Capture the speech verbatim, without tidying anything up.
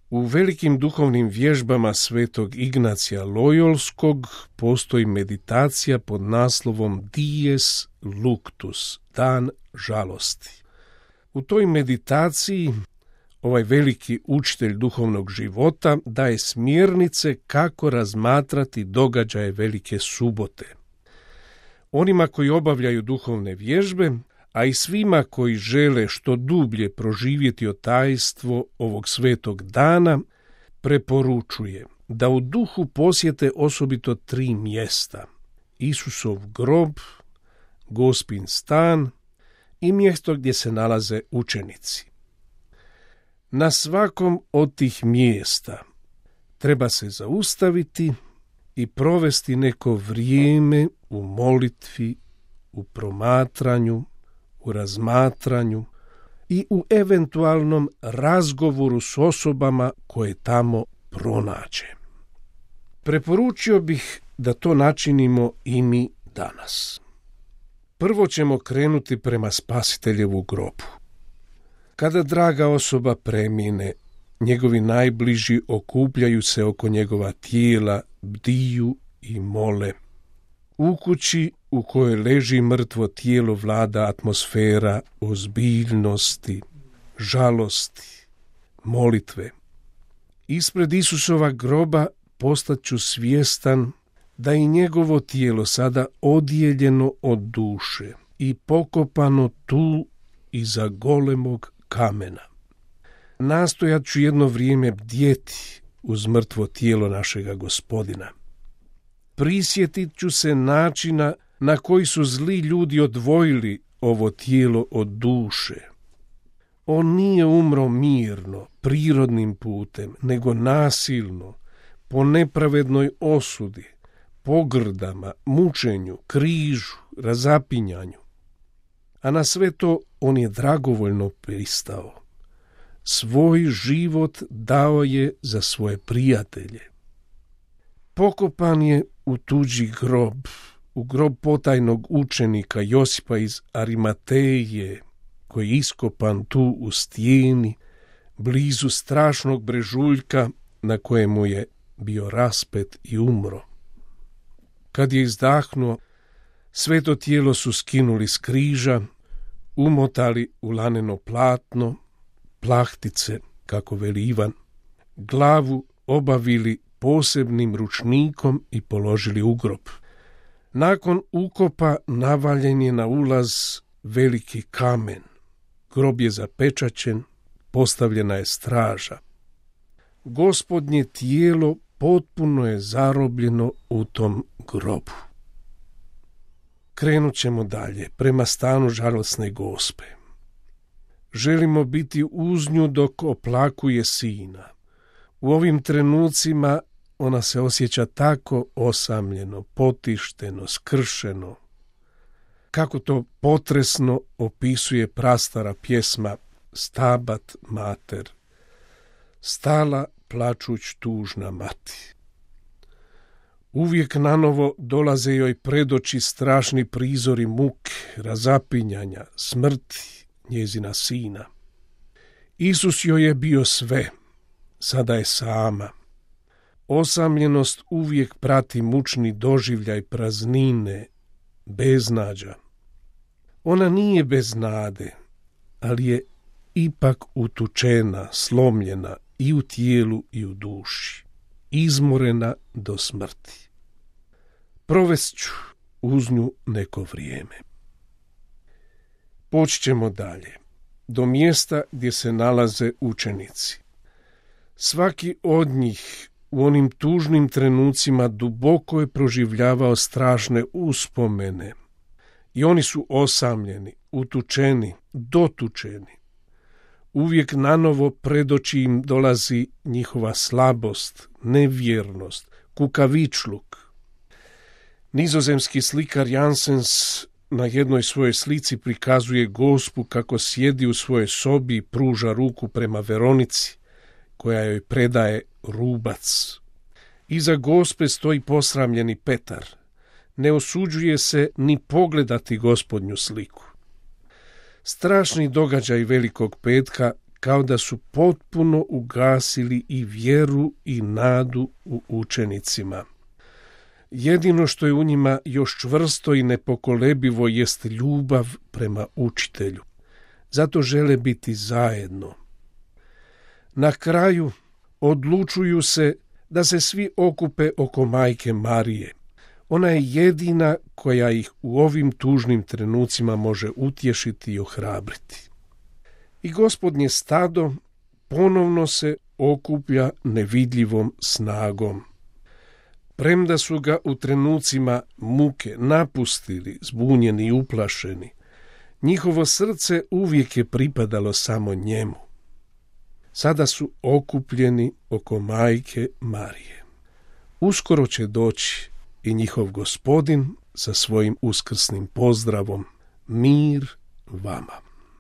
U velikim duhovnim vježbama svetog Ignacija Lojolskog postoji meditacija pod naslovom Dies Luctus, dan žalosti. U toj meditaciji ovaj veliki učitelj duhovnog života daje smjernice kako razmatrati događaje Velike subote. Onima koji obavljaju duhovne vježbe, a i svima koji žele što dublje proživjeti tajstvo ovog svetog dana, preporučuje da u duhu posjete osobito tri mjesta: Isusov grob, Gospin stan i mjesto gdje se nalaze učenici. Na svakom od tih mjesta treba se zaustaviti i provesti neko vrijeme u molitvi, u promatranju, u razmatranju i u eventualnom razgovoru s osobama koje tamo pronađe. Preporučio bih da to načinimo i mi danas. Prvo ćemo krenuti prema Spasiteljevu grobu. Kada draga osoba premine, njegovi najbliži okupljaju se oko njegova tijela, bdiju i mole. U kući u kojoj leži mrtvo tijelo vlada atmosfera ozbiljnosti, žalosti, molitve. Ispred Isusova groba postaću svjestan da i njegovo tijelo sada odijeljeno od duše i pokopano tu iza golemog kamena. Nastojat ću jedno vrijeme bdjeti uz mrtvo tijelo našega Gospodina. Prisjetit ću se načina na koji su zli ljudi odvojili ovo tijelo od duše. On nije umro mirno, prirodnim putem, nego nasilno, po nepravednoj osudi, pogrdama, mučenju, križu, razapinjanju. A na sve to on je dragovoljno pristao. Svoj život dao je za svoje prijatelje. Pokopan je u tuđi grob, u grob potajnog učenika Josipa iz Arimateje, koji je iskopan tu u stijeni, blizu strašnog brežuljka na kojemu je bio raspet i umro. Kad je izdahnuo, sveto tijelo su skinuli s križa, umotali u laneno platno, plahtice, kako veli Ivan, glavu obavili posebnim ručnikom i položili u grob. Nakon ukopa navaljen je na ulaz veliki kamen. Grob je zapečaćen, postavljena je straža. Gospodnje tijelo potpuno je zarobljeno u tom grobu. Krenut ćemo dalje, prema stanu žalosne Gospe. Želimo biti uz nju dok oplakuje sina. U ovim trenucima ona se osjeća tako osamljeno, potišteno, skršeno. Kako to potresno opisuje prastara pjesma Stabat Mater. Stala plačuć tužna mati. Uvijek nanovo dolaze joj pred oči strašni prizori muke, razapinjanja, smrti njezina sina. Isus joj je bio sve, sada je sama. Osamljenost uvijek prati mučni doživljaj praznine, beznađa. Ona nije bez nade, ali je ipak utučena, slomljena i u tijelu i u duši, izmorena do smrti. Provest ću uz nju neko vrijeme. Poći ćemo dalje, do mjesta gdje se nalaze učenici. Svaki od njih u onim tužnim trenucima duboko je proživljavao strašne uspomene i oni su osamljeni, utučeni, dotučeni. Uvijek nanovo pred oči im dolazi njihova slabost, nevjernost, kukavičluk. Nizozemski slikar Janssens na jednoj svojoj slici prikazuje Gospu kako sjedi u svojoj sobi i pruža ruku prema Veronici, koja joj predaje rubac. Iza Gospe stoji posramljeni Petar. Ne osuđuje se ni pogledati Gospodnju sliku. Strašni događaj Velikog petka kao da su potpuno ugasili i vjeru i nadu u učenicima. Jedino što je u njima još čvrsto i nepokolebivo jest ljubav prema učitelju. Zato žele biti zajedno. Na kraju odlučuju se da se svi okupe oko majke Marije. Ona je jedina koja ih u ovim tužnim trenucima može utješiti i ohrabriti. I Gospodnje stado ponovno se okuplja nevidljivom snagom. Premda su ga u trenucima muke napustili, zbunjeni i uplašeni, njihovo srce uvijek je pripadalo samo njemu. Sada su okupljeni oko majke Marije. Uskoro će doći i njihov Gospodin sa svojim uskrsnim pozdravom: mir vama.